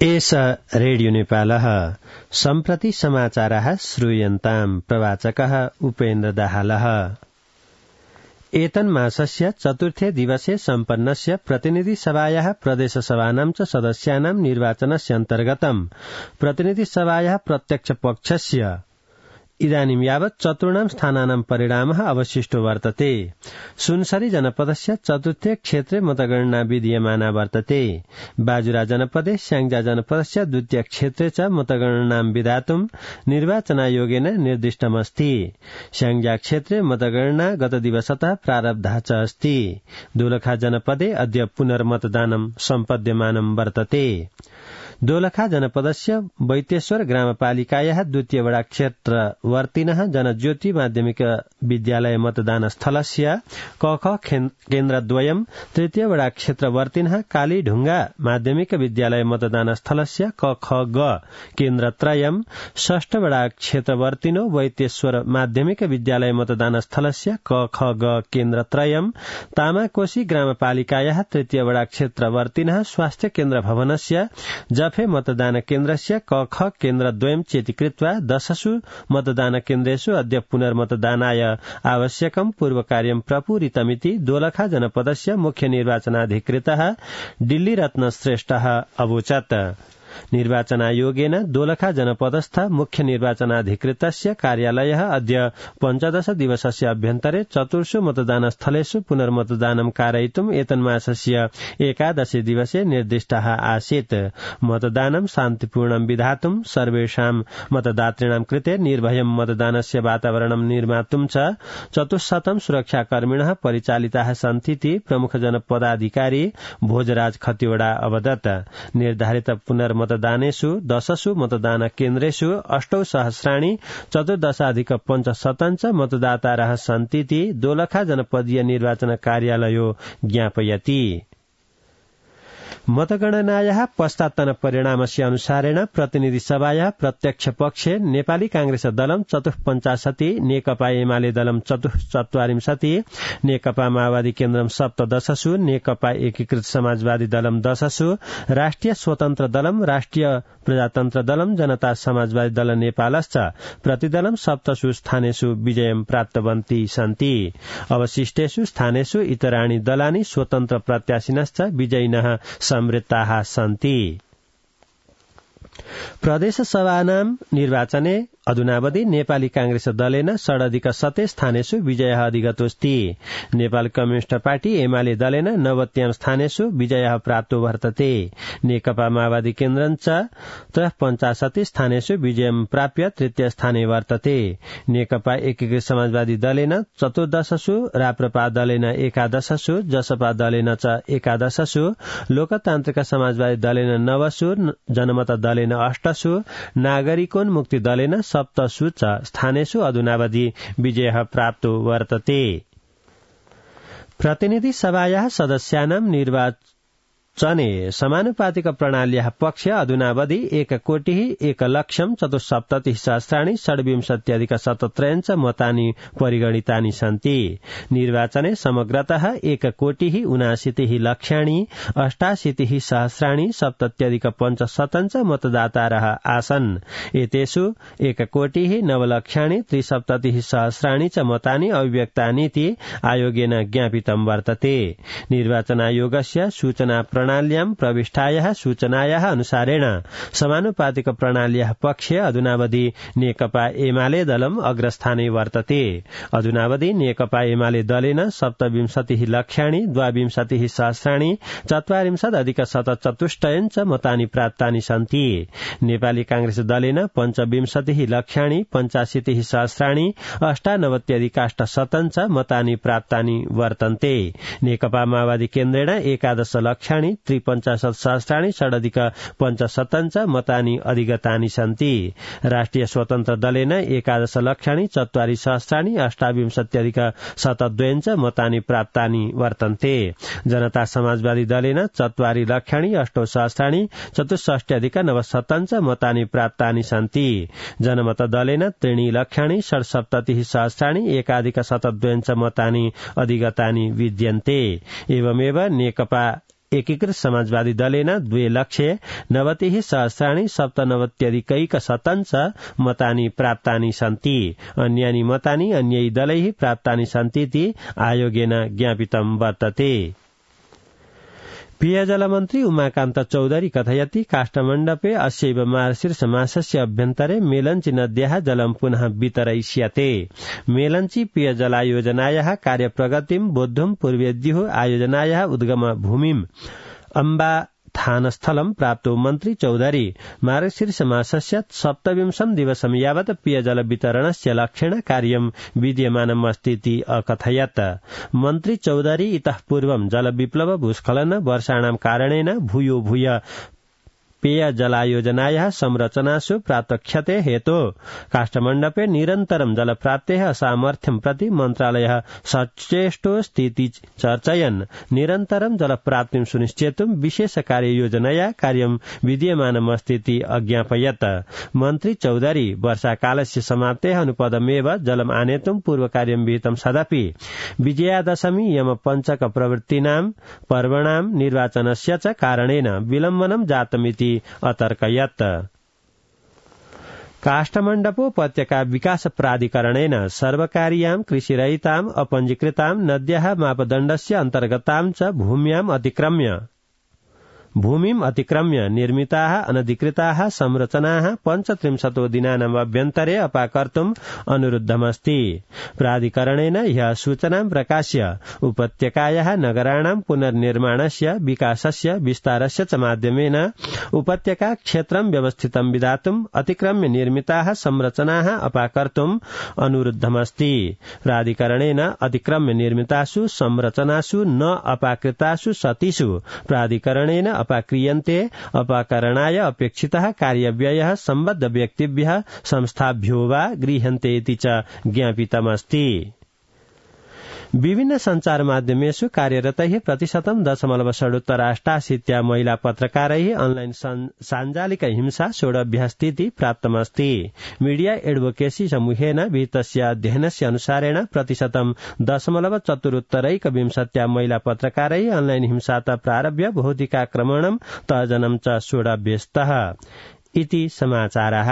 एष रेडियो नेपालः सम्प्रति समाचारः श्रूयन्ताम् प्रवाचकः उपेन्द्र दाहालः। एतन्मासस्य चतुर्थे दिवसे सम्पन्नस्य प्रतिनिधिसभायाः प्रदेशसभानां च सदस्यानां निर्वाचनस्य अन्तर्गतं प्रतिनिधिसभायाः प्रत्यक्षपक्षस्य इदानीं यावत् चतुर्णां स्थानानां परिणामः अवशिष्टो वर्तते। सुनसरी जनपदस्य चतुर्थे क्षेत्रे मतगणना विधीयमाना वर्तते। बाजुरा जनपदे स्याङ्जा जनपदस्य द्वितीय क्षेत्रे च मतगणनां विधातुं निर्वाचनायोगेन निर्दिष्टमस्ति। स्याङ्जा क्षेत्रे मतगणना गतदिवसतः प्रारब्धः च अस्ति। दोलखा जनपदे अद्य पुनर्मतदानं सम्पद्यमानं वर्तते। दोलखा जनपदस्य वैतेश्वर ग्रामपालिकायाः द्वितीय वडा क्षेत्रवर्तिनः जनज्योति माध्यमिक विद्यालय मतदान स्थलस्य कख केन्द्रद्वयम्, तृतीय वडा क्षेत्रवर्तिनः कालीढुङ्गा माध्यमिक विद्यालय मतदान स्थलस्य कखग केन्द्रत्रयम्, षष्ठ वडा क्षेत्रवर्तिनो वैतेश्वर माध्यमिक विद्यालय मतदान स्थलस्य कखग केन्द्रत्रयम्, तामाकोशी ग्रामपालिकायाः तृतीय वडा क्षेत्रवर्तिनः स्वास्थ्य केन्द्र भवनस्य जफे मतदान केन्द्रस्य कख केन्द्रद्वयम् चेति कृत्वा 10 मतदान केन्द्रेषु अद्य पुनर्मतदानाय आवश्यकं पूर्वकार्यं प्रपूरितमिति दोलखा जनपदस्य मुख्य निर्वाचनाधिकृतः दिल्ली रत्न श्रेष्ठः अवोचत्। निर्वाचनायोगेन दोलखा जनपदस्थ मुख्य निर्वाचनाधिकृतस्य कार्यालयः अद्य 15 दिवसस्य अभ्यन्तरे चतुर्षु मतदान स्थलेषु पुनर्मतदानं कारयितुम् एतन्मासस्य 11 दिवसे निर्दिष्टः आसीत्। मतदानं शान्तिपूर्णं विधातुं सर्वेषां मतदातॄणां कृते निर्भयं मतदानस्य वातावरणं निर्मातुं च 400 सुरक्षाकर्मिणः परिचालिताः सन्तीति प्रमुख जनपदाधिकारी भोजराज खतिवड़ा अवदत्। निर्धारित मतदानेषु 10 मतदान केन्द्रेषु 8 सहस्राणि 14,500 मतदातारः सन्तीति दोलखा जनपदीय निर्वाचन कार्यालयो ज्ञापयति। मतगणनायाः पश्चात्तन परिणामस्य अनुसारेण प्रतिनिधिसभायाः प्रत्यक्ष पक्षे नेपाली कांग्रेस दलं 54, नेकपा एमाले दलं 44, नेकपा माओवादी केन्द्रम 17, नेकपा एकीकृत समाजवादी दलं 10, राष्ट्रिय स्वतन्त्र दलं, राष्ट्रिय प्रजातन्त्र दलं, जनता समाजवादी दल नेपालश्च प्रतिदलं 7 स्थानेषु विजयं प्राप्तवन्ती सन्ति। अवशिष्टेषु स्थानेषु इतराणि दलानि स्वतन्त्र प्रत्याशिनश्च विजयिनः समृद्धाः सन्ति। प्रदेशसभानां निर्वाचने अधुनावधि नेपाली कांग्रेस दलेन षडधिक स्थानेषु विजयः अधिगतोऽस्ति। नेपाल कम्युनिस्ट पार्टी एमाले दलेन 90 स्थानेषु विजयः प्राप्तो वर्तते। नेकपा माओवादी केन्द्रं च 53 स्थानेषु विजयं प्राप्य तृतीय स्थाने वर्तते। नेकपा एकीकृत समाजवादी दलेन 14, राप्रपा दलेन 11, जसपा दलेन च 11, लोकतान्त्रिक समाजवादी दलेन 9, जनमत दलेन 8, नागरिकोन्मुक्ति दलेन 7 स्थानेषु अधुनावधि विजयः प्राप्तो वर्तते। प्रतिनिधि सभायाः सदस्यानां निर्वाचने समानुपातिक प्रणाल्याः पक्ष अधुनावधि 1,01,74,000 षड्विंशत्यधिक 17 मतानि परिगणितानि सन्ति। निर्वाचने समग्रतः 1,80,88,77,500 मतदातारः आसन्। एतेषु 1,09,73,000 च मतानि अभिव्यक्तानीति आयोगेन ज्ञापितं वर्तते। निर्वाचनायोगस्य सूचना प्रणाल्यां प्रविष्टायाः सूचनायाः अनुसारेण समानुपातिक प्रणाल्याः पक्षे अधुनावधि नेकपा एमाले दलम् अग्रस्थाने वर्तते। अधुनावधि नेकपा एमाले दलेन 27,62,040,044 च मतानि प्राप्तानि सन्ति। नेपाली कांग्रेस दलेन 25,85,000,98,000 च मतानि प्राप्तानि वर्तन्ते। नेकपा माओवादी केन्द्रेण 11,53,000 षडधिक 5,75 मतानि अधिगतानि सन्ति। राष्ट्रिय स्वतन्त्र दलेन 11,04,000,28,72 च मतानि प्राप्तानि वर्तन्ते। जनता समाजवादी दलेन 4,08,64,64 च मतानि प्राप्तानि सन्ति। जनमत दलेन 3,67,000,1,72 च मतानि अधिगतानि विद्यन्ते। एवमेव नेकपा एकीकृत समाजवादी दलेन 2,90,000 सहस्राणि 97,अधिकैकशतं च मतानि प्राप्तानि सन्ति। अन्यानि मतानि अन्यै दलैः प्राप्तानि सन्तीति आयोगेन ज्ञापितं वर्तते। पेयजल मन्त्री उमाकान्त चौधरी कथयति काष्ठमण्डपे अस्यैव मार्गशीर्ष मासस्य अभ्यन्तरे मेलञ्ची नद्याः जलं पुनः वितरयिष्यते। मेलञ्ची पेयजलायोजनायाः कार्यप्रगतिं बोद्धुं पूर्वेद्युः आयोजनायाः उद्गम भूमिम् अम्बाथानस्थलं प्राप्तो मन्त्री चौधरी मार्गशीर्ष मासस्य 27 दिवसं यावत् पेयजल वितरणस्य लक्ष्येण कार्यं विद्यमानमस्तीति अकथयत्। मन्त्री चौधरी इतः पूर्वं जलविप्लव भूस्खलन वर्षाणां कारणेन भूयो भूय पेयजलायोजनायाः संरचनासु प्राप्त क्षते हेतो काष्ठमण्डपे निरन्तरं जलप्राप्तेः असामर्थ्यं प्रति मन्त्रालयः सचेष्टोऽस्तीति चर्चयन् निरन्तरं जलप्राप्तिं सुनिश्चेतुं विशेष कार्ययोजनया कार्यं विद्यमानमस्तीति अज्ञापयत्। मन्त्री चौधरी वर्षाकालस्य समाप्तेः अनुपदमेव जलम् आनेतुं पूर्वकार्यं विहितं सदपि विजयादशमी यमपञ्चक प्रवृत्तीनां पर्वणां निर्वाचनस्य च कारणेन विलम्बनं जातमिति अतर्कयत्। काष्ठमण्डपोपत्यका विकास प्राधिकरणेन सर्वकारीयां कृषिरहितां अपञ्जीकृतां नद्याः मापदण्डस्य अन्तर्गतां च भूमिम् अतिक्रम्य निर्मिताः अनधिकृताः संरचनाः 35 दिनानाम् अभ्यन्तरे अपाकर्तुम् अनुरुद्धमस्ति। प्राधिकरणेन ह्यः सूचनां प्रकाश्य उपत्यकायाः नगराणां पुनर्निर्माणस्य विकासस्य विस्तारस्य च माध्यमेन उपत्यका क्षेत्रं व्यवस्थितं विधातुम् अतिक्रम्य निर्मिताः संरचनाः अपाकर्तुम् अनुरुद्धमस्ति। प्राधिकरणेन अतिक्रम्य निर्मितासु संरचनासु न अपाकृतासु सतिषु प्राधिकरणेन अपाक्रियन्ते अपाकरणाय अपेक्षितः कार्यव्ययः सम्बद्ध व्यक्तिभ्यः संस्थाभ्यो वा गृह्यन्ते इति च ज्ञापितमस्ति। विभिन्न संचार माध्यमेषु कार्यरतैः 0.6% महिला पत्रकारैः ऑनलाइन साञ्जालिक हिंसा सोढव्यस्तीति प्राप्तमस्ति। मीडिया एडवोकेसी समूहेन विहितस्य अध्ययनस्य अनुसारेण 0.4% महिला पत्रकारैः ऑनलाइन हिंसातः प्रारभ्य भौतिकाक्रमणं तर्जनं च सोढव्यस्तः इति समाचारः।